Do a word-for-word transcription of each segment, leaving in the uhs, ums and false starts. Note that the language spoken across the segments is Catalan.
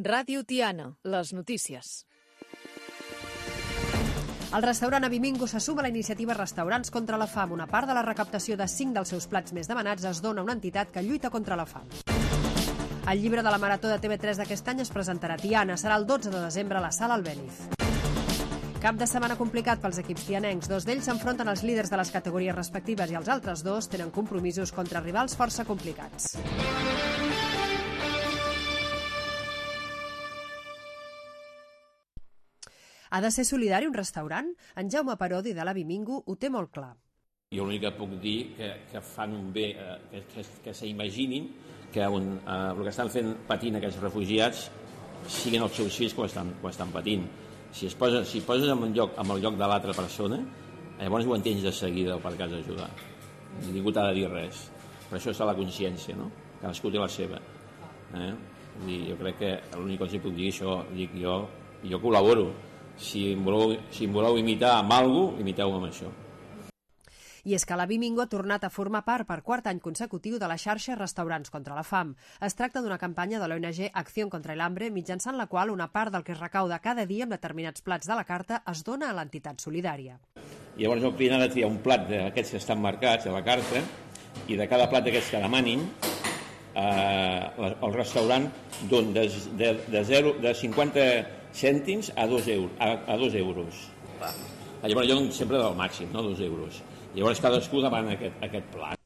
Ràdio Tiana, les notícies. El restaurant Avimingo se suma a la iniciativa Restaurants contra la Fam. Una part de la recaptació de cinc dels seus plats més demanats es dona a una entitat que lluita contra la fam. El llibre de la Marató de T V tres d'aquest any es presentarà a Tiana. Serà el dotze de desembre a la Sala Albéniz. Cap de setmana complicat pels equips tianencs. Dos d'ells s'enfronten als líders de les categories respectives i els altres dos tenen compromisos contra rivals força complicats. Ha de ser solidari un restaurant? En Jaume Parodi de l'Avimingo ho té molt clar. Jo l'únic que puc dir que, que fan un bé, eh, que, que, que s'imaginin que un, eh, el que estan fent patint aquests refugiats siguin els seus fills que ho estan, que ho estan patint. Si es posa, si poses en el lloc, en el lloc de l'altra persona, llavors ho entens de seguida per cas d'ajudar. Ningú t'ha de dir res. Per això està la consciència, no? Cadascú té la seva. Eh? I jo crec que l'únic que els puc dir, això dic jo, jo col·laboro. Si em voleu, si em voleu imitar amb alguna cosa, imiteu-me amb això. I és que l'Avimingo ha tornat a formar part per quart any consecutiu de la xarxa Restaurants contra la Fam. Es tracta d'una campanya de l'O N G Acción contra el Hambre, mitjançant la qual una part del que es recauda cada dia amb determinats plats de la carta es dona a l'entitat solidària. Llavors el client ha de triar un plat d'aquests que estan marcats a la carta i de cada plat d'aquests que demanin eh, el restaurant dona de, de, de, zero, de cinquanta cèntims a dos euros. A, a dos euros. Llavors jo sempre del màxim, no? Dos euros. Llavors cadascú demana aquest, aquest plat.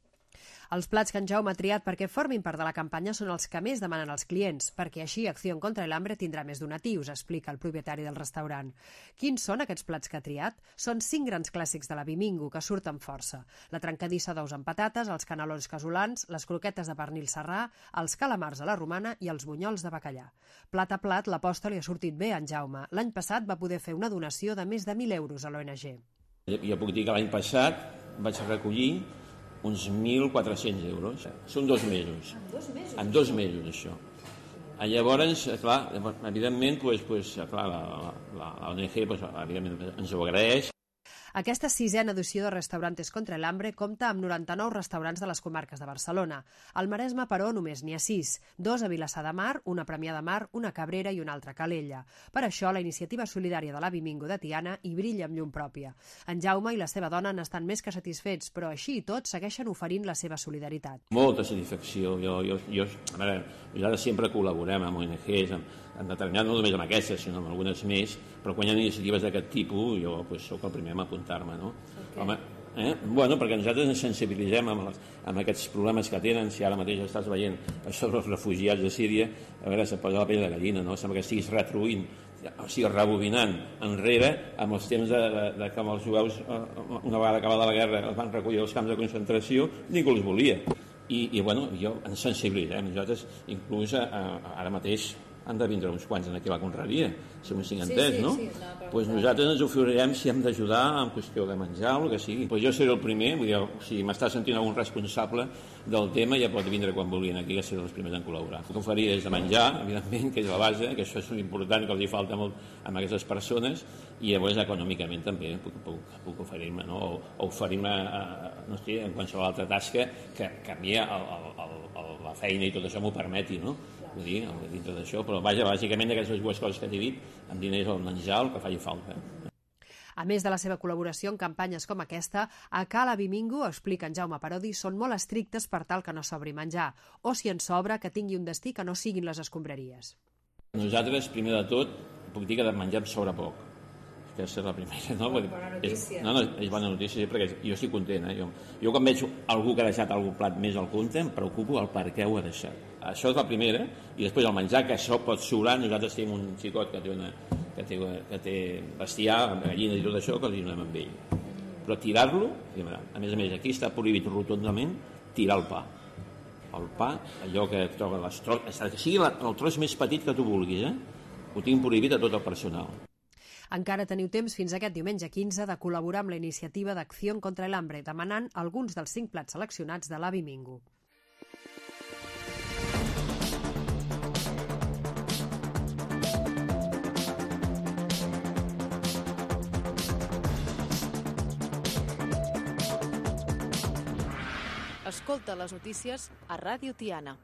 Els plats que en Jaume ha triat perquè formin part de la campanya són els que més demanen els clients, perquè així Acció contra el Hambre tindrà més donatius, explica el propietari del restaurant. Quins són aquests plats que ha triat? Són cinc grans clàssics de l'Avimingo que surten força. La trencadissa d'ous amb patates, els canelons casolans, les croquetes de pernil serrà, els calamars a la romana i els bunyols de bacallà. Plat a plat, l'aposta li ha sortit bé a en Jaume. L'any passat va poder fer una donació de més de mil euros a l'O N G. Jo puc dir que l'any passat vaig recollir uns mil quatre-cents euros. Són dos mesos. En dos mesos? En dos mesos, això. Llavors, clar, evidentment, pues, pues, clar, la, la, la O N G pues, evidentment, ens ho agraeix. Aquesta sisena edició de Restaurantes contra el Hambre compta amb noranta-nou restaurants de les comarques de Barcelona. Al Maresme, però, només n'hi ha sis. Dos a Vilassar de Mar, una a Premià de Mar, una a Cabrera i una altra a Calella. Per això, la iniciativa solidària de l'Avimingo de Tiana hi brilla amb llum pròpia. En Jaume i la seva dona n'estan més que satisfets, però així i tot segueixen oferint la seva solidaritat. Molta satisfacció. Jo, jo, jo, a veure, nosaltres sempre col·laborem amb O N Ges, amb, amb determinat, no només amb aquestes, sinó amb algunes més, però quan hi ha iniciatives d'aquest tipus, jo pues, soc el primer a apuntar-me, no? Okay. Home, eh? Bueno, perquè nosaltres ens sensibilitzem amb, els, amb aquests problemes que tenen. Si ara mateix estàs veient sobre els refugiats de Síria, a veure, se posa la pell de gallina, no? Sembla que estiguis retroint, o sigui, rebobinant enrere amb els temps de, de, de que els jueus, una vegada acabada la guerra, els van recollir als camps de concentració, ningú els volia. I, i bueno, jo ens sensibilitzem. Nosaltres, inclús eh, ara mateix, han de vindre uns quants aquí a la confraria, si m'ho tinc entès, sí, sí, no? Sí, no pues nosaltres ens oferirem si hem d'ajudar en qüestió de menjar o el que sigui. Pues jo seré el primer, vull dir, si m'està sentint algun responsable del tema, ja pot vindre quan vulguin aquí, que seré els primers en col·laborar. Puc oferir des de menjar, evidentment, que és la base, que això és important, que els hi falta molt a aquestes persones, i llavors econòmicament també puc, puc, puc oferir-me, no? O, o oferir-me no sé, en qualsevol altra tasca que, que a mi el, el, el, la feina i tot això m'ho permeti, no? Vull dir, dintre d'això, però vaja, bàsicament d'aquestes dues coses que t'he dit, amb diners o menjar, el que faci falta. A més de la seva col·laboració en campanyes com aquesta, a Ca l'Avimingo, explica en Jaume Parodi, són molt estrictes per tal que no sobri menjar, o si en sobra, que tingui un destí que no siguin les escombraries. Nosaltres, primer de tot, puc dir que de menjar em sobra poc. Aquesta és la primera, no? Bona notícia. És, no, no, és bona notícia, perquè jo estic content. Eh? Jo, jo quan veig algú que ha deixat algun plat més al compte, em preocupo el per què ho ha deixat. Això és la primera, i després el menjar, que això pot sobrar. Nosaltres tenim un xicot que té, una, que té, que té bestiar, gallines i tot això, que els donem amb ell. Però tirar-lo, a més a més, aquí està prohibit rotundament tirar el pa. El pa, allò que troba les tros, que sigui el tros més petit que tu vulguis, eh? Ho tinc prohibit a tot el personal. Encara teniu temps fins aquest diumenge quinze de col·laborar amb la iniciativa d'Acció contra el Hambre, demanant alguns dels cinc plats seleccionats de l'Avimingo. Escolta les notícies a Ràdio Tiana.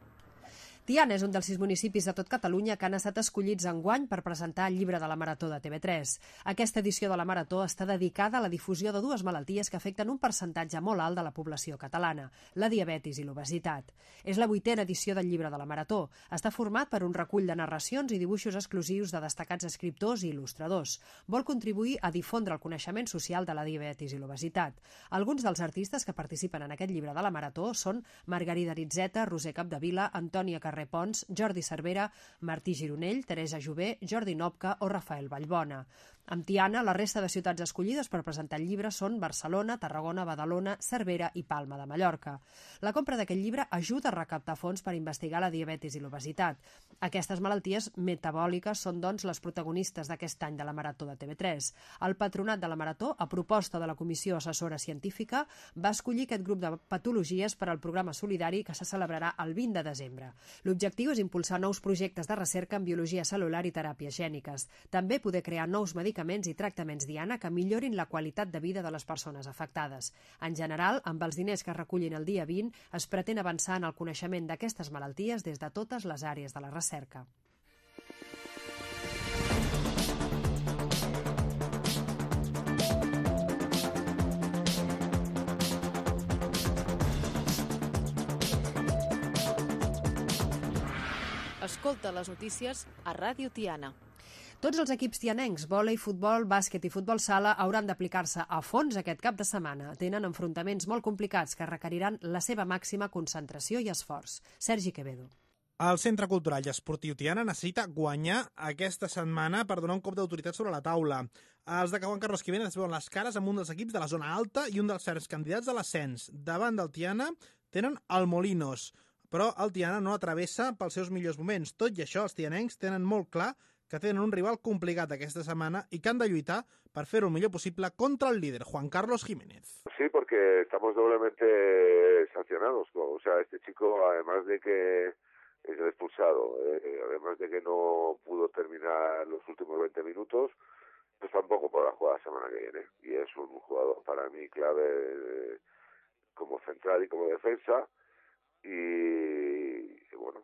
Tiana és un dels sis municipis de tot Catalunya que han estat escollits enguany per presentar el llibre de la Marató de T V tres. Aquesta edició de la Marató està dedicada a la difusió de dues malalties que afecten un percentatge molt alt de la població catalana, la diabetis i l'obesitat. És la vuitena edició del llibre de la Marató. Està format per un recull de narracions i dibuixos exclusius de destacats escriptors i il·lustradors. Vol contribuir a difondre el coneixement social de la diabetis i l'obesitat. Alguns dels artistes que participen en aquest llibre de la Marató són Margarida Ritzeta, Roser Capdevila, Antònia Carré Pons, Jordi Cervera, Martí Gironell, Teresa Jové, Jordi Nopca o Rafael Vallbona. Amb Tiana, la resta de ciutats escollides per presentar el llibre són Barcelona, Tarragona, Badalona, Cervera i Palma de Mallorca. La compra d'aquest llibre ajuda a recaptar fons per investigar la diabetis i l'obesitat. Aquestes malalties metabòliques són, doncs, les protagonistes d'aquest any de la Marató de T V tres. El Patronat de la Marató, a proposta de la Comissió Assessora Científica, va escollir aquest grup de patologies per al programa solidari que se celebrarà el vint de desembre. L'objectiu és impulsar nous projectes de recerca en biologia cel·lular i teràpies gèniques. També poder crear nous medicaments i tractaments Diana que millorin la qualitat de vida de les persones afectades. En general, amb els diners que es recullin el dia vint, es pretén avançar en el coneixement d'aquestes malalties des de totes les àrees de la recerca. Escolta les notícies a Ràdio Tiana. Tots els equips tianencs, vòlei, futbol, bàsquet i futbol sala, hauran d'aplicar-se a fons aquest cap de setmana. Tenen enfrontaments molt complicats que requeriran la seva màxima concentració i esforç. Sergi Quevedo. El Centre Cultural i Esportiu Tiana necessita guanyar aquesta setmana per donar un cop d'autoritat sobre la taula. Els de Juan Carlos Jiménez es veuen les cares amb un dels equips de la zona alta i un dels certs candidats a l'ascens. Davant del Tiana tenen el Molinos, però el Tiana no atravessa pels seus millors moments. Tot i això, els tianencs tenen molt clar que tenen un rival complicat aquesta semana y que han de lluitar para hacer lo mejor posible contra el líder, Juan Carlos Jiménez. Sí, porque estamos doblemente sancionados. O sea, este chico, además de que es el expulsado, eh, además de que no pudo terminar los últimos veinte minutos, pues tampoco podrá jugar la semana que viene. Y es un jugador para mí clave eh, como central y como defensa. Y, y bueno,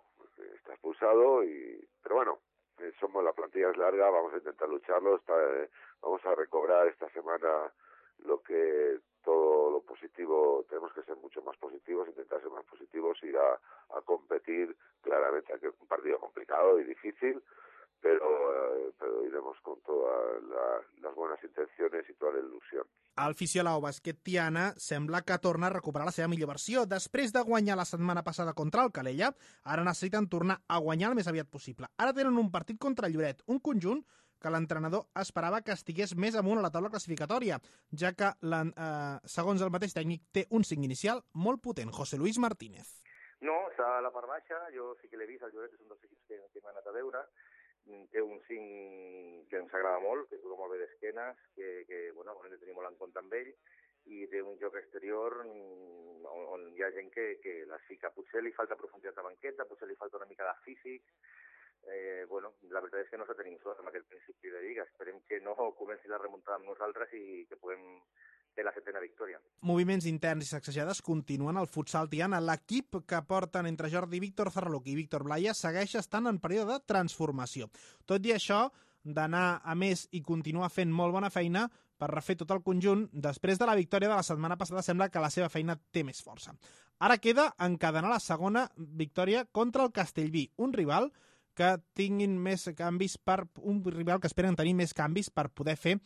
está expulsado, y pero bueno, somos la plantilla es larga, vamos a intentar lucharlo, está, eh, vamos a recobrar esta semana lo que todo lo positivo, tenemos que ser mucho más positivos, intentar ser más positivos, ir a, a competir claramente, que es un partido complicado y difícil, pero, eh, pero iremos con todas la, las buenas intenciones i tota la il·lusió. El Fisiolao Bàsquet Tiana sembla que torna a recuperar la seva millor versió. Després de guanyar la setmana passada contra el Calella, ara necessiten tornar a guanyar el més aviat possible. Ara tenen un partit contra el Lloret, un conjunt que l'entrenador esperava que estigués més amunt a la taula classificatòria, ja que, eh, segons el mateix tècnic, té un cinc inicial molt potent. José Luis Martínez. No, està a la part baixa, jo sí que l'he vist, el Lloret és un dels equips que, que m'ha anat a veure, té un cinc que ens agrada molt, que juga molt bé d'esquenes, que, que bueno, hem de tenir molt en compte amb ell, i té un joc exterior on, on hi ha gent que, que les fica. Potser li falta profunditat de banqueta, potser li falta una mica de físic. Eh, bueno, la veritat és que no se tenim sort amb aquest principi de lliga. Esperem que no comenci la remuntada amb nosaltres i que puguem fer la setena victòria. Moviments interns i sacsejades continuen al futsal Tiana. L'equip que porten entre Jordi Víctor Zarraluc i Víctor Blaya segueix estant en període de transformació. Tot i això, d'anar a més i continuar fent molt bona feina per refer tot el conjunt, després de la victòria de la setmana passada sembla que la seva feina té més força. Ara queda encadenar la segona victòria contra el Castellví, un rival que tinguin més canvis per un rival que esperen tenir més canvis per poder fer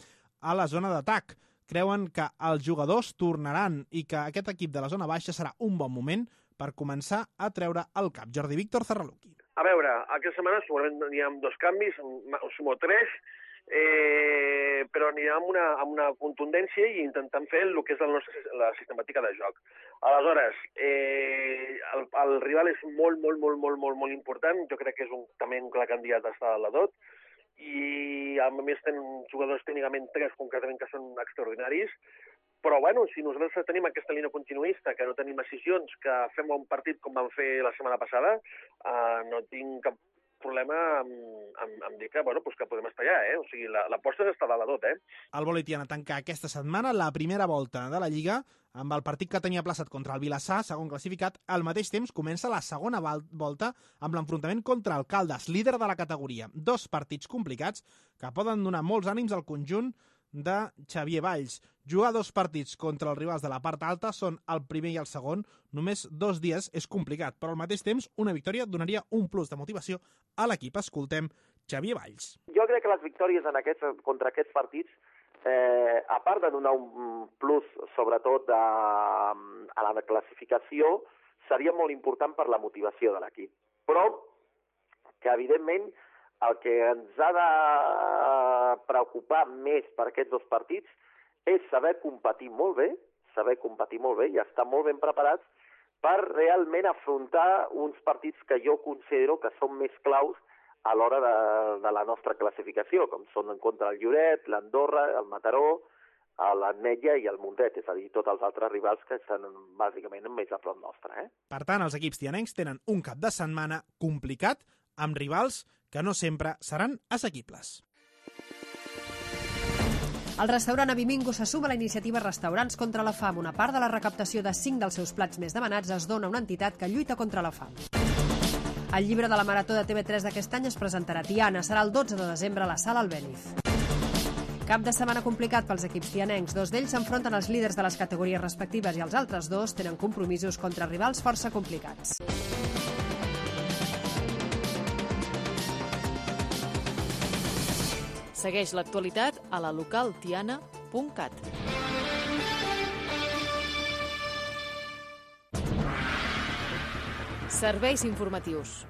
a la zona d'atac. Creuen que els jugadors tornaran i que aquest equip de la zona baixa serà un bon moment per començar a treure el cap. Jordi Víctor Zarraluki. A veure, aquesta setmana segurament hi ha dos canvis, sumo tres, eh, però anirà amb una, amb una contundència i intentant fer el que és la nostra la sistemàtica de joc. Aleshores, eh, el, el rival és molt, molt, molt, molt, molt, molt important. Jo crec que és un, també un clar candidat a estar a la dot, i a més tenen jugadors tècnicament tres concretament que són extraordinaris, però bueno, si nosaltres tenim aquesta línia continuista, que no tenim decisions, que fem un partit com vam fer la setmana passada, eh, no tinc cap problema amb, amb, amb dir que, bueno, pues que podem estar allà, eh? O sigui, l'aposta és estar a la dot, eh? El vòlei Tiana tanca aquesta setmana la primera volta de la Lliga amb el partit que tenia plaçat contra el Vilassar, segon classificat. Al mateix temps comença la segona volta amb l'enfrontament contra el Caldes, líder de la categoria. Dos partits complicats que poden donar molts ànims al conjunt de Xavier Valls. Jugar dos partits contra els rivals de la part alta són el primer i el segon. Només dos dies és complicat, però al mateix temps una victòria donaria un plus de motivació a l'equip. Escoltem Xavier Valls. Jo crec que les victòries en aquests, contra aquests partits, eh, a part de donar un plus, sobretot a, a la classificació, seria molt important per la motivació de l'equip. Però que, evidentment, el que ens ha de preocupar més per aquests dos partits és saber competir molt bé, saber competir molt bé i estar molt ben preparats per realment afrontar uns partits que jo considero que són més claus a l'hora de, de la nostra classificació, com són en contra el Lloret, l'Andorra, el Mataró, l'Ametlla i el Mundet, és a dir, tots els altres rivals que estan bàsicament més a prop nostre. Eh? Per tant, els equips tianencs tenen un cap de setmana complicat amb rivals que no sempre seran assequibles. El restaurant Avimingo se suma a la iniciativa Restaurants contra la Fam. Una part de la recaptació de cinc dels seus plats més demanats es dona a una entitat que lluita contra la fam. El llibre de la Marató de T V tres d'aquest any es presentarà a Tiana. Serà el dotze de desembre a la Sala Albéniz. Cap de setmana complicat pels equips tianencs. Dos d'ells s'enfronten als líders de les categories respectives i els altres dos tenen compromisos contra rivals força complicats. Segueix l'actualitat a la local tiana punt cat. Serveis informatius.